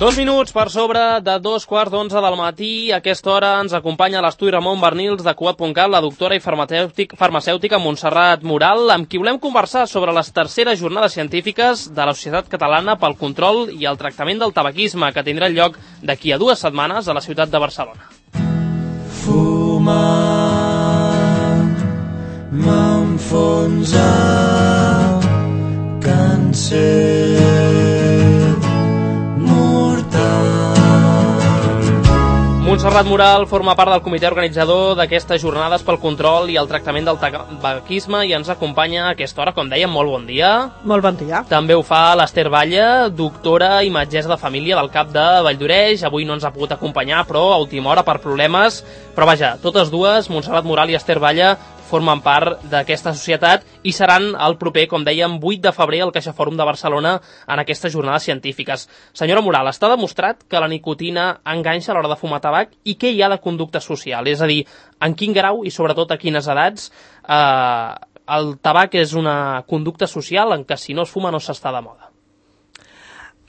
2 minuts per sobre de 2:15 del matí. A aquesta hora ens acompanya a l'estudi Ramon Bernils de Cugat.cat la doctora i farmacèutica Montserrat Moral, amb qui volem conversar sobre les terceres jornades científiques de la Societat Catalana pel Control i el Tractament del Tabaquisme, que tindrà lloc d'aquí a 2 setmanes a la ciutat de Barcelona. Fumar m'enfonsa càncer mortal. Montserrat Moral forma part del comitè organitzador d'aquestes jornades pel control i el tractament del tabaquisme i ens acompanya a aquesta hora, com dèiem, molt bon dia. Molt bon dia. També ho fa l'Ester Batlle, doctora i metgessa de família del CAP de Valldoreix. Avui no ens ha pogut acompanyar, però a última hora per problemes. Però vaja, totes dues, Montserrat Moral i Ester Batlle, formen part d'aquesta societat i seran el proper, com dèiem, 8 de febrer al CaixaFòrum de Barcelona en aquestes jornades científiques. Senyora Moral, està demostrat que la nicotina enganxa a l'hora de fumar tabac i què hi ha de conducta social? És a dir, en quin grau i sobretot a quines edats el tabac és una conducta social en què si no es fuma no s'està de moda?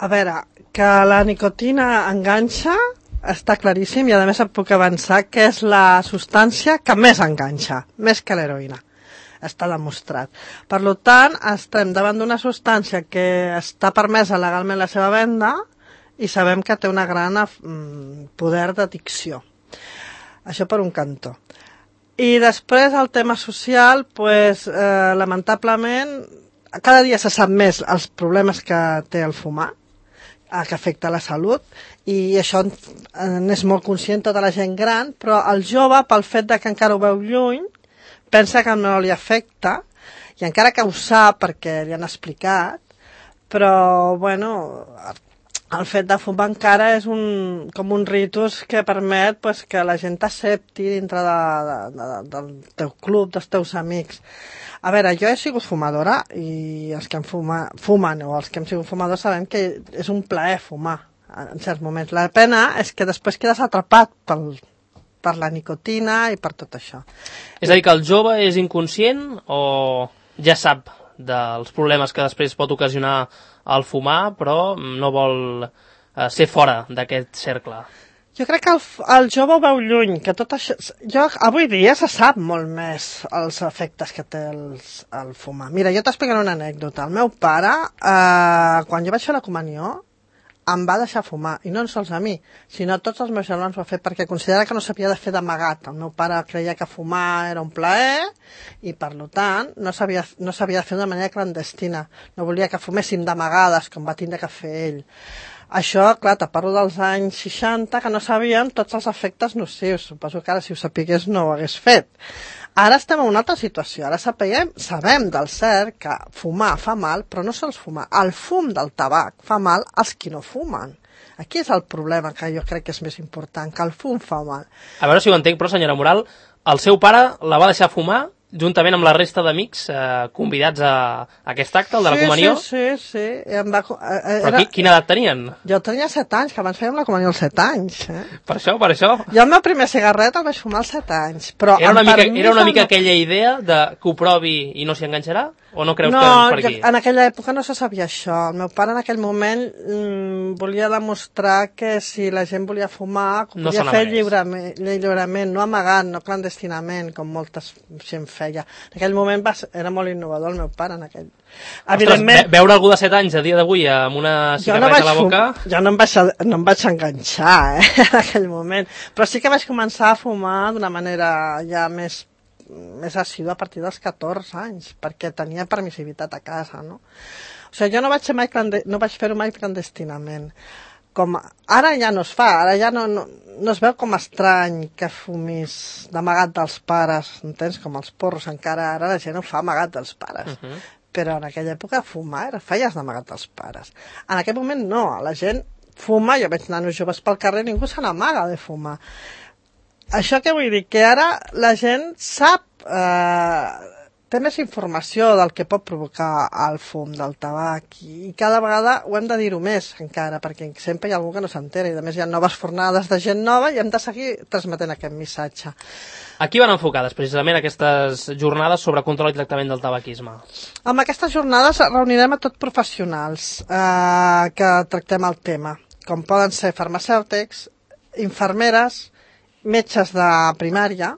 A veure, que la nicotina enganxa està claríssim i a més et puc avançar que és la substància que més enganxa, més que l'heroïna. Està demostrat. Per tant, estem davant d'una substància que està permesa legalment la seva venda i sabem que té una gran poder d'addicció. Això per un cantó. I després el tema social, lamentablement, cada dia se sap més els problemes que té el fumar, que afecta la salut, i això n'és molt conscient tota la gent gran, però el jove, pel fet que encara ho veu lluny, pensa que no li afecta, i encara que ho sap perquè li han explicat, però, bueno, el fet de fumar encara és com un ritus que permet que la gent t'accepti dintre del teu club, dels teus amics. A veure, jo he sigut fumadora i els que fumen o els que hem sigut fumadors sabem que és un plaer fumar en certs moments. La pena és que després quedes atrapat per la nicotina i per tot això. És a dir, que el jove és inconscient o ja sap dels problemes que després pot ocasionar el fumar, però no vol ser fora d'aquest cercle? Jo crec que el jove ho veu lluny, que tot això... Avui dia se sap molt més els efectes que té el fumar. Mira, jo t'explicaré una anècdota. El meu pare, quan jo vaig fer la comunió, em va deixar fumar, i no sols a mi, sinó a tots els meus germans ho va fer perquè considera que no s'havia de fer d'amagat. El meu pare creia que fumar era un plaer i, per tant, no s'havia de fer d'una manera clandestina. No volia que fuméssim d'amagades, com va tindre que fer ell. Això, clar, te parlo dels anys 60, que no sabíem tots els efectes nocius. Suposo que ara, si ho sapigués, no ho hagués fet. Ara estem en una altra situació. Ara sabem del cert que fumar fa mal, però no sols fumar. El fum del tabac fa mal als qui no fumen. Aquí és el problema que jo crec que és més important, que el fum fa mal. A veure si ho entenc, però, senyora Moral, el seu pare la va deixar fumar juntament amb la resta d'amics convidats a aquest acte, el de la comunió? Sí. Però quina edat tenien? Jo tenia 7 anys, que abans fèiem la comunió als 7 anys. Per això? Jo el meu primer cigarret el vaig fumar als 7 anys. Però era una mica aquella idea de que ho provi i no s'hi enganxarà? O no creus que és per aquí? No, en aquella època no se sabia això. El meu pare en aquell moment volia demostrar que si la gent volia fumar, ho podia fer lliurement, no amagat, no clandestinament, com molta gent feia. En aquell moment era molt innovador el meu pare. Ostres, veure algú de 7 anys a dia d'avui amb una cigarreta a la boca... Jo no em vaig enganxar, en aquell moment. Però sí que vaig començar a fumar d'una manera ja més assídua a partir dels 14 anys, perquè tenia permissivitat a casa, no? O sigui, jo no vaig fer-ho mai clandestinament. Ara ja no es fa, ara ja no es veu com estrany que fumis d'amagat dels pares, entens? Com els porros, encara ara la gent ho fa amagat dels pares. Però en aquella època fumar feies d'amagat dels pares. En aquell moment no, la gent fuma, jo veig nanos joves pel carrer, ningú se n'amaga de fumar. Això què vull dir? Que ara la gent sap, té més informació del que pot provocar el fum del tabac i cada vegada ho hem de dir-ho més encara, perquè sempre hi ha algú que no s'entera i a més hi ha noves fornades de gent nova i hem de seguir transmetent aquest missatge. A qui van enfocades precisament aquestes jornades sobre control i tractament del tabaquisme? Amb aquestes jornades reunirem a tots professionals que tractem el tema. com poden ser farmacèutics, infermeres, metges de primària,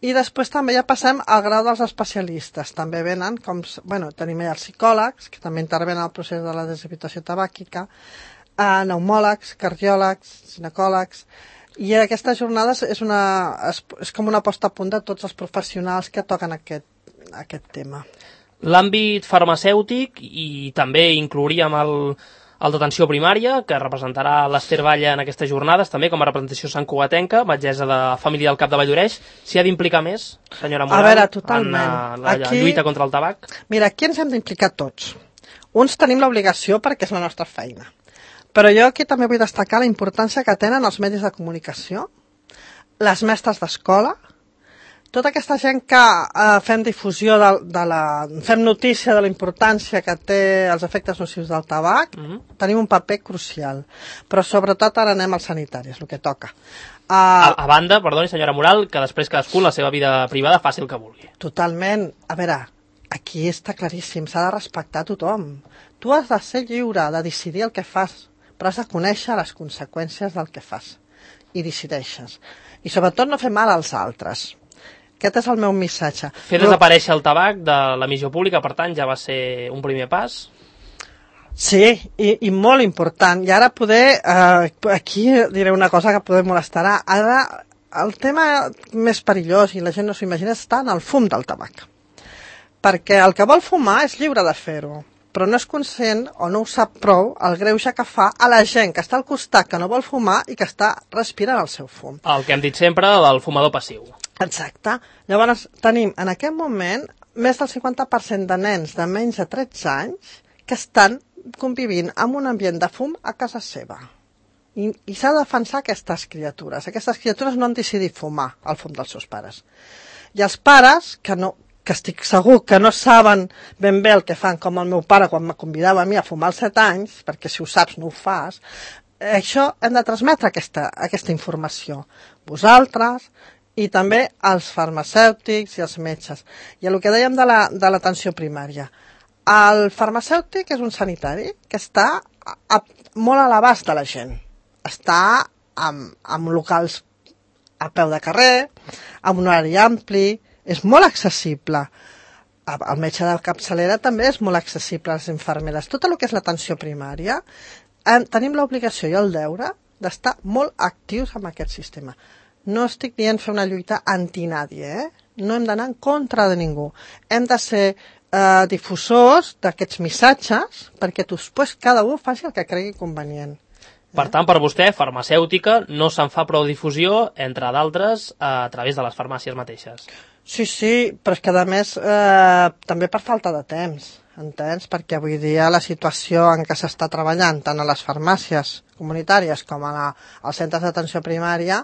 i després també ja passem al grau dels especialistes. També venen, tenim allà els psicòlegs, que també intervenen en el procés de la deshabitació tabàquica, pneumòlegs, cardiòlegs, ginecòlegs, i aquestes jornades és com una posta a punt de tots els professionals que toquen aquest tema. L'àmbit farmacèutic, i també inclouríem el d'atenció primària, que representarà l'Ester Batlle en aquestes jornades, també com a representació santcugatenca, metgessa de família del Cap de Valldoreig. S'hi ha d'implicar més, senyora Moral, a veure, totalment. En la lluita contra el tabac? Mira, aquí ens hem d'implicar tots. Uns tenim l'obligació perquè és la nostra feina. Però jo aquí també vull destacar la importància que tenen els medis de comunicació, les mestres d'escola, tota aquesta gent que fem difusió, fem notícia de la importància que té els efectes nocius del tabac, tenim un paper crucial. Però sobretot ara anem als sanitaris, el que toca. A banda, perdoni, senyora Moral, que després cadascú la seva vida privada faci el que vulgui. Totalment. A veure, aquí està claríssim, s'ha de respectar tothom. Tu has de ser lliure de decidir el que fas, però has de conèixer les conseqüències del que fas. I decideixes. I sobretot no fer mal als altres. Aquest és el meu missatge. Fer desaparèixer el tabac de l'emissió pública, per tant, ja va ser un primer pas? Sí, i molt important. I ara aquí diré una cosa que poder molestarà. Ara, el tema més perillós, i la gent no s'ho imagina, està en el fum del tabac. Perquè el que vol fumar és lliure de fer-ho, però no és conscient o no ho sap prou el greuge que fa a la gent que està al costat, que no vol fumar i que està respirant el seu fum. El que hem dit sempre del fumador passiu. Exacte. Llavors tenim en aquest moment més del 50% de nens de menys de 13 anys que estan convivint amb un ambient de fum a casa seva. I s'ha de defensar aquestes criatures. Aquestes criatures no han decidit fumar el fum dels seus pares. I els pares, que estic segur que no saben ben bé el que fan, com el meu pare quan me convidava a mi a fumar als 7 anys, perquè si ho saps no ho fas, això hem de transmetre aquesta informació. Vosaltres i també els farmacèutics i els metges. I el que dèiem de l'atenció primària. El farmacèutic és un sanitari que està molt a l'abast de la gent. Està en locals a peu de carrer, amb un horari ampli, és molt accessible. El metge de capçalera també és molt accessible a les infermeres. Tot el que és l'atenció primària, tenim l'obligació i el deure d'estar molt actius en aquest sistema. No estic dient fer una lluita anti-nadie, no hem d'anar en contra de ningú. Hem de ser difusors d'aquests missatges perquè després cada un faci el que cregui convenient. Per tant, per vostè, farmacèutica no se'n fa prou difusió, entre d'altres, a través de les farmàcies mateixes. Sí, però és que a més també per falta de temps, entens? Perquè avui dia la situació en què s'està treballant tant a les farmàcies comunitàries com als centres d'atenció primària,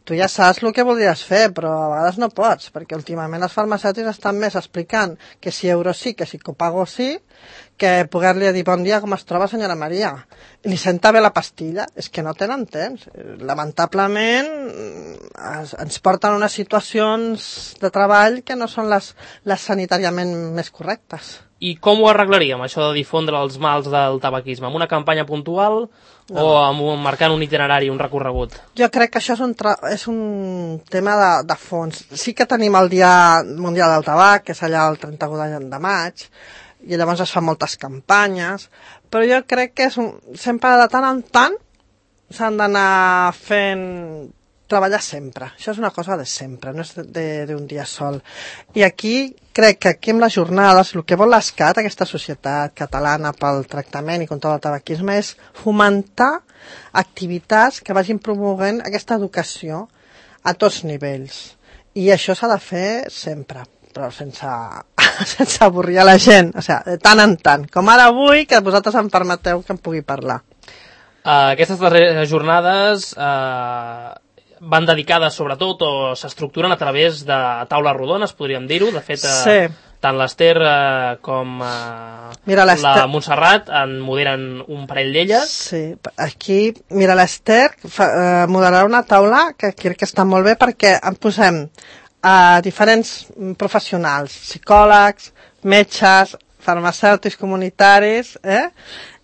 tu ja saps el que voldries fer, però a vegades no pots, perquè últimament els farmacèutics estan més explicant que si euro sí, que si copago sí, que poder-li dir bon dia com es troba senyora Maria. I li senta bé la pastilla, és que no tenen temps. Lamentablement ens porten a unes situacions de treball que no són les sanitàriament més correctes. I com ho arreglaríem, això de difondre els mals del tabaquisme? Amb una campanya puntual o marcant un itinerari, un recorregut? Jo crec que això és un tema de fons. Sí que tenim el Dia Mundial del Tabac, que és allà el 31 de maig, i llavors es fan moltes campanyes, però jo crec que sempre de tant en tant s'han d'anar treballar sempre. Això és una cosa de sempre, no és d'un dia sol. I aquí crec que aquí amb les jornades el que vol l'ESCAT, aquesta societat catalana pel tractament i contra el tabaquisme, és fomentar activitats que vagin promovent aquesta educació a tots nivells. I això s'ha de fer sempre, però sense avorrir a la gent, o sigui, de tant en tant. Com ara avui, que vosaltres em permeteu que em pugui parlar. Aquestes darreres jornades van dedicades sobretot o s'estructuren a través de taules rodones, podríem dir-ho. De fet, sí. Tant l'Ester com la Montserrat en moderen un parell d'elles. Sí, aquí, mira, l'Ester moderarà una taula que crec que està molt bé perquè en posem diferents professionals, psicòlegs, metges, farmacèutics comunitaris,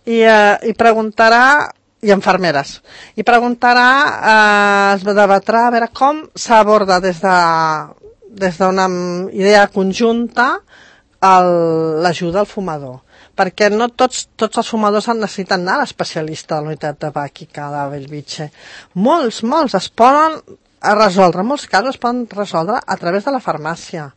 i preguntarà i infermeres. I preguntarà, es debatrà a veure com s'aborda des d'una idea conjunta l'ajuda al fumador. Perquè no tots els fumadors necessiten anar a l'especialista de la unitat tabàquica de Bellvitge. Molts es poden resoldre, en molts casos es poden resoldre a través de la farmàcia,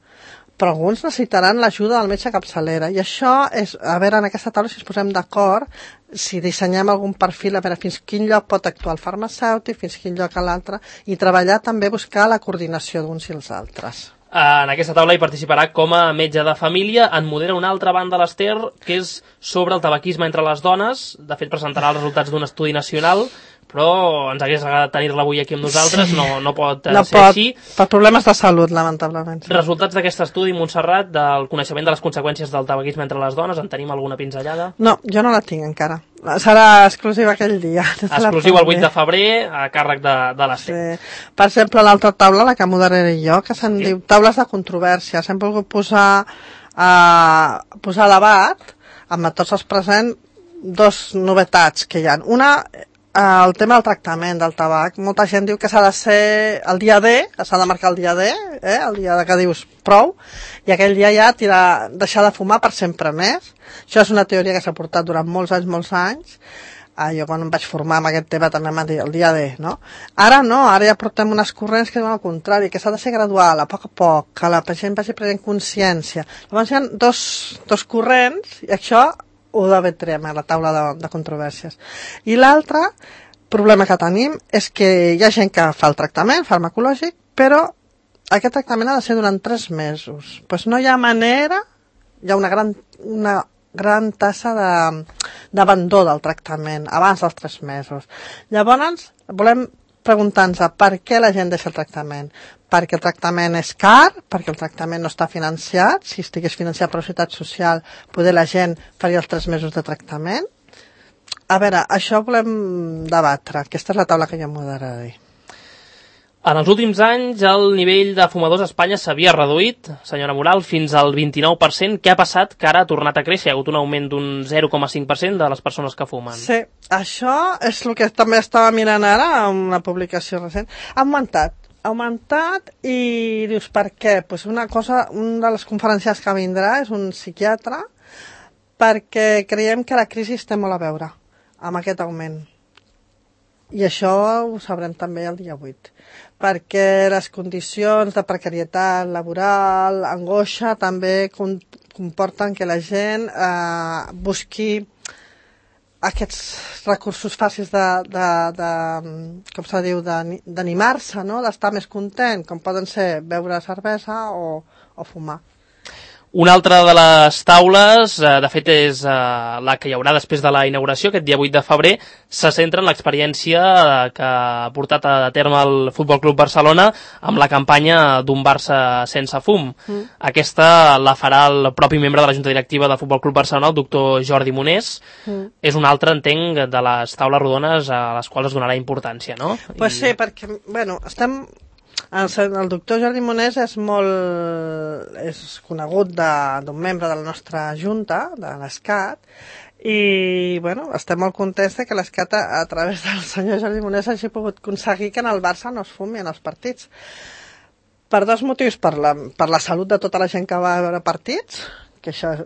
però alguns necessitaran l'ajuda del metge capçalera, i això és, a veure, en aquesta taula si ens posem d'acord, si dissenyem algun perfil, a veure fins quin lloc pot actuar el farmacèutic, fins quin lloc a l'altre, i treballar també, buscar la coordinació d'uns i els altres. En aquesta taula hi participarà com a metge de família. En modera una altra banda l'Ester, que és sobre el tabaquisme entre les dones. De fet, presentarà els resultats d'un estudi nacional, però ens hagués agradat tenir-la avui aquí amb nosaltres, sí. No pot ser així. Per problemes de salut, lamentablement. Sí. Resultats d'aquest estudi, Montserrat, del coneixement de les conseqüències del tabaquisme entre les dones, en tenim alguna pinzellada? No, jo no la tinc encara. Serà exclusiva aquell dia. Exclusiva el 8 de febrer, a càrrec de l'Ester. Sí. Per exemple, l'altra taula, la que moderaré jo, que se'n diu taules de controvèrsia. Hem volgut posar a debat, amb tots els presents, dos novetats que hi ha. Una, el tema del tractament del tabac. Molta gent diu que s'ha de ser el dia D, s'ha de marcar el dia D, el dia que dius prou, i aquell dia ja deixar de fumar per sempre més. Això és una teoria que s'ha portat durant molts anys. Jo quan em vaig formar amb aquest tema també m'han dit el dia D, no? Ara no, ara ja portem unes corrents que diuen al contrari, que s'ha de ser gradual, a poc, que la gent vagi prenent consciència. Llavors hi ha dos corrents, i això ho debatrem a la taula de controvèrsies. I l'altre problema que tenim és que hi ha gent que fa el tractament farmacològic, però aquest tractament ha de ser durant 3 mesos. Pues no hi ha manera, hi ha una gran tassa d'abandó del tractament abans dels 3 mesos. Llavors, volem preguntar-nos per què la gent deixa el tractament. Perquè el tractament és car, perquè el tractament no està financiat. Si estigués financiat per la Seguretat Social, poder la gent faria els 3 mesos de tractament. A veure, això volem debatre. Aquesta és la taula que jo moderaré. En els últims anys, el nivell de fumadors a Espanya s'havia reduït, senyora Moral, fins al 29%. Què ha passat que ara ha tornat a créixer? Hi ha hagut un augment d'un 0,5% de les persones que fumen. Sí, això és el que també estava mirant ara en una publicació recent. Ha augmentat i dius per què? Pues una de les conferències que vindrà és un psiquiatre, perquè creiem que la crisi té molt a veure amb aquest augment. I això ho sabrem també el dia 8, perquè les condicions de precarietat laboral, angoixa, també comporten que la gent busqui aquests recursos fàcils com se diu, d'animar-se, no? D'estar més content, com poden ser beure cervesa o fumar. Una altra de les taules, de fet és la que hi haurà després de la inauguració, aquest dia 8 de febrer, se centra en l'experiència que ha portat a terme el Futbol Club Barcelona amb la campanya d'un Barça sense fum. Aquesta la farà el propi membre de la Junta Directiva del Futbol Club Barcelona, el doctor Jordi Monés. És un altre, entenc, de les taules rodones a les quals es donarà importància, no? Pues sí, perquè, bueno, el doctor Jordi Monés és conegut d'un membre de la nostra junta, de l'ESCAT, i bueno, estem molt contents que l'ESCAT a través del senyor Jordi Monés hagi pogut aconseguir que en el Barça no es fumi en els partits. Per 2 motius, per la salut de tota la gent que va a veure partits, que això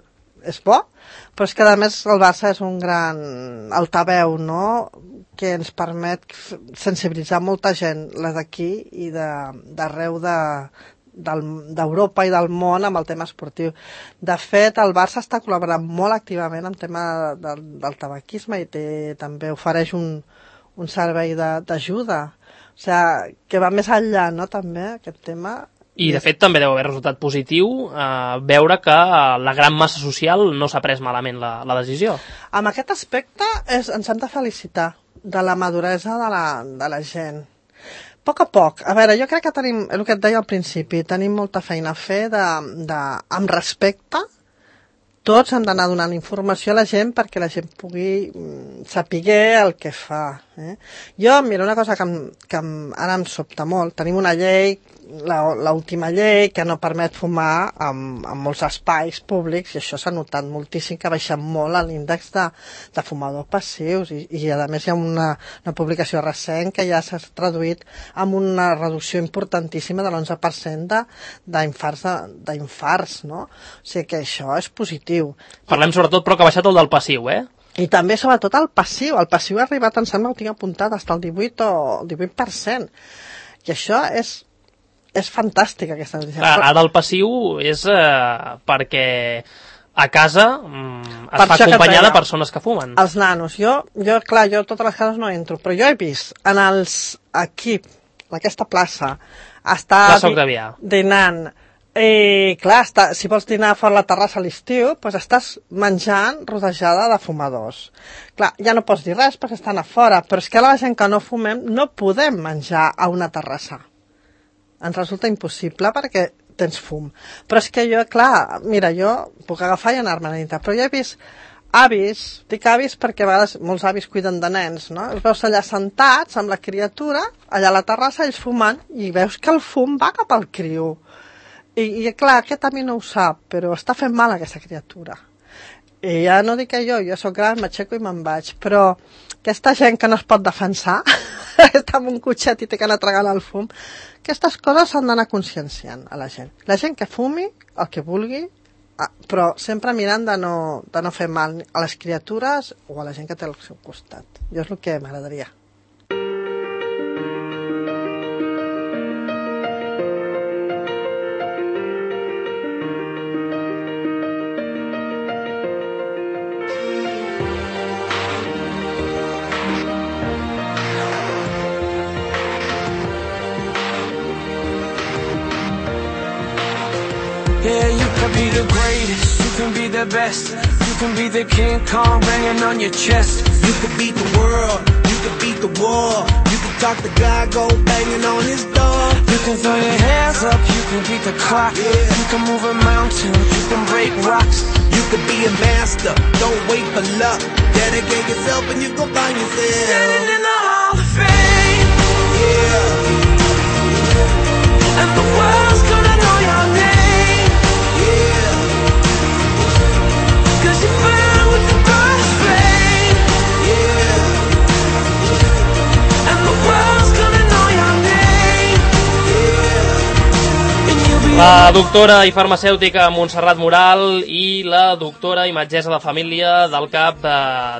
és bo, però és que a més el Barça és un gran altaveu, no?, que ens permet sensibilitzar molta gent, la d'aquí i d'arreu d'Europa i del món amb el tema esportiu. De fet, el Barça està col·laborant molt activament en tema del tabaquisme i també ofereix un servei d'ajuda. O sigui, que va més enllà, no?, també, aquest tema. I, de fet, també deu haver resultat positiu veure que la gran massa social no s'ha pres malament la decisió. Amb aquest aspecte ens hem de felicitar de la maduresa de la gent. A poc. A veure, jo crec que tenim, el que et deia al principi, tenim molta feina a fer amb respecte. Tots hem d'anar donant informació a la gent perquè la gent pugui saber el que fa. Jo, mira, una cosa que ara em sobta molt. Tenim una llei l'última llei que no permet fumar en molts espais públics, i això s'ha notat moltíssim, que ha baixat molt l'índex de fumadors passius, i a més hi ha una publicació recent que ja s'ha traduït amb una reducció importantíssima de l'11% d'infarts, no? O sigui que això és positiu. Parlem sobretot, però, que ha baixat el del passiu, I també, sobretot, el passiu. El passiu ha arribat, em sembla, ho tinc apuntat, fins al 18%. I això és fantàstic, aquesta notícia. Ara el passiu és perquè a casa es fa acompanyar de persones que fumen. Els nanos. Jo, clar, jo a totes les cases no entro, però jo he vist aquí, en aquesta plaça, està dinant. I clar, si vols dinar fora la terrassa a l'estiu, doncs estàs menjant rodejada de fumadors. Clar, ja no pots dir res perquè estan a fora, però és que la gent que no fumem no podem menjar a una terrassa. Ens resulta impossible perquè tens fum. Però és que jo, clar, mira, jo puc agafar i anar-me a la nit, però jo he vist avis, dic avis perquè a vegades molts avis cuiden de nens, no? Els veus allà sentats amb la criatura, allà a la terrassa, ells fumant, i veus que el fum va cap al criu. I clar, aquest a mi no ho sap, però està fent mal aquesta criatura. I ja no dic que jo sóc gran, m'aixeco i me'n vaig, però aquesta gent que no es pot defensar, està en un cotxet i té que anar tragant el fum, aquestes coses s'han d'anar conscienciant a la gent. La gent que fumi, el que vulgui, però sempre mirant de no fer mal a les criatures o a la gent que té al seu costat. Jo és el que m'agradaria. Yeah, you can be the greatest, you can be the best, you can be the King Kong banging on your chest. You can beat the world, you can beat the war, you can talk to God, go banging on his door. You can throw your hands up, you can beat the clock, you can move a mountain, you can break rocks. You can be a master, don't wait for luck, dedicate yourself and you go find yourself standing in the Hall of Fame. Yeah. And the world's gonna know your name. La doctora i farmacèutica Montserrat Moral i la doctora i metgessa de família del CAP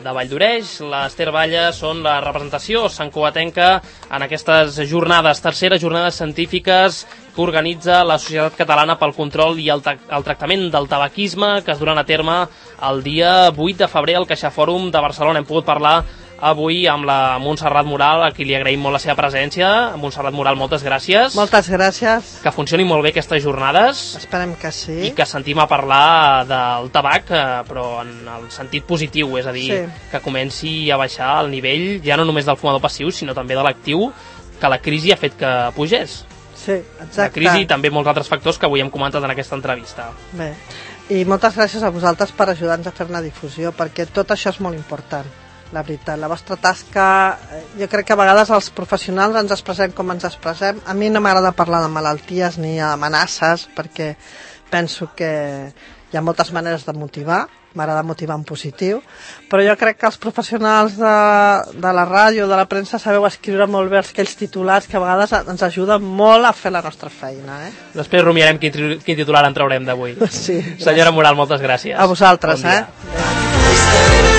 de Valldoreix, l'Ester Balla, són la representació santcugatenca en aquestes jornades, terceres jornades científiques que organitza la Societat Catalana pel Control i el Tractament del Tabaquisme, que es duran a terme el dia 8 de febrer al CaixaFòrum de Barcelona. Hem pogut parlar avui amb la Montserrat Moral, a qui li agraïm molt la seva presència. Montserrat Moral, moltes gràcies. Moltes gràcies. Que funcionin molt bé aquestes jornades. Esperem que sí. I que sentim a parlar del tabac, però en el sentit positiu, és a dir, que comenci a baixar el nivell, ja no només del fumador passiu, sinó també de l'actiu, que la crisi ha fet que pugés. Sí, exacte. La crisi i també molts altres factors que avui hem comentat en aquesta entrevista. Bé, i moltes gràcies a vosaltres per ajudar-nos a fer una difusió, perquè tot això és molt important. La veritat, la vostra tasca, jo crec que a vegades els professionals ens expressem com ens expressem. A mi no m'agrada parlar de malalties ni d'amenaces, perquè penso que hi ha moltes maneres de motivar, m'agrada motivar en positiu, però jo crec que els professionals de la ràdio, de la premsa, sabeu escriure molt bé aquells titulars que a vegades ens ajuden molt a fer la nostra feina. Després rumiarem quin titular en traurem d'avui. Sí, senyora Moral, moltes gràcies. A vosaltres. Bon dia.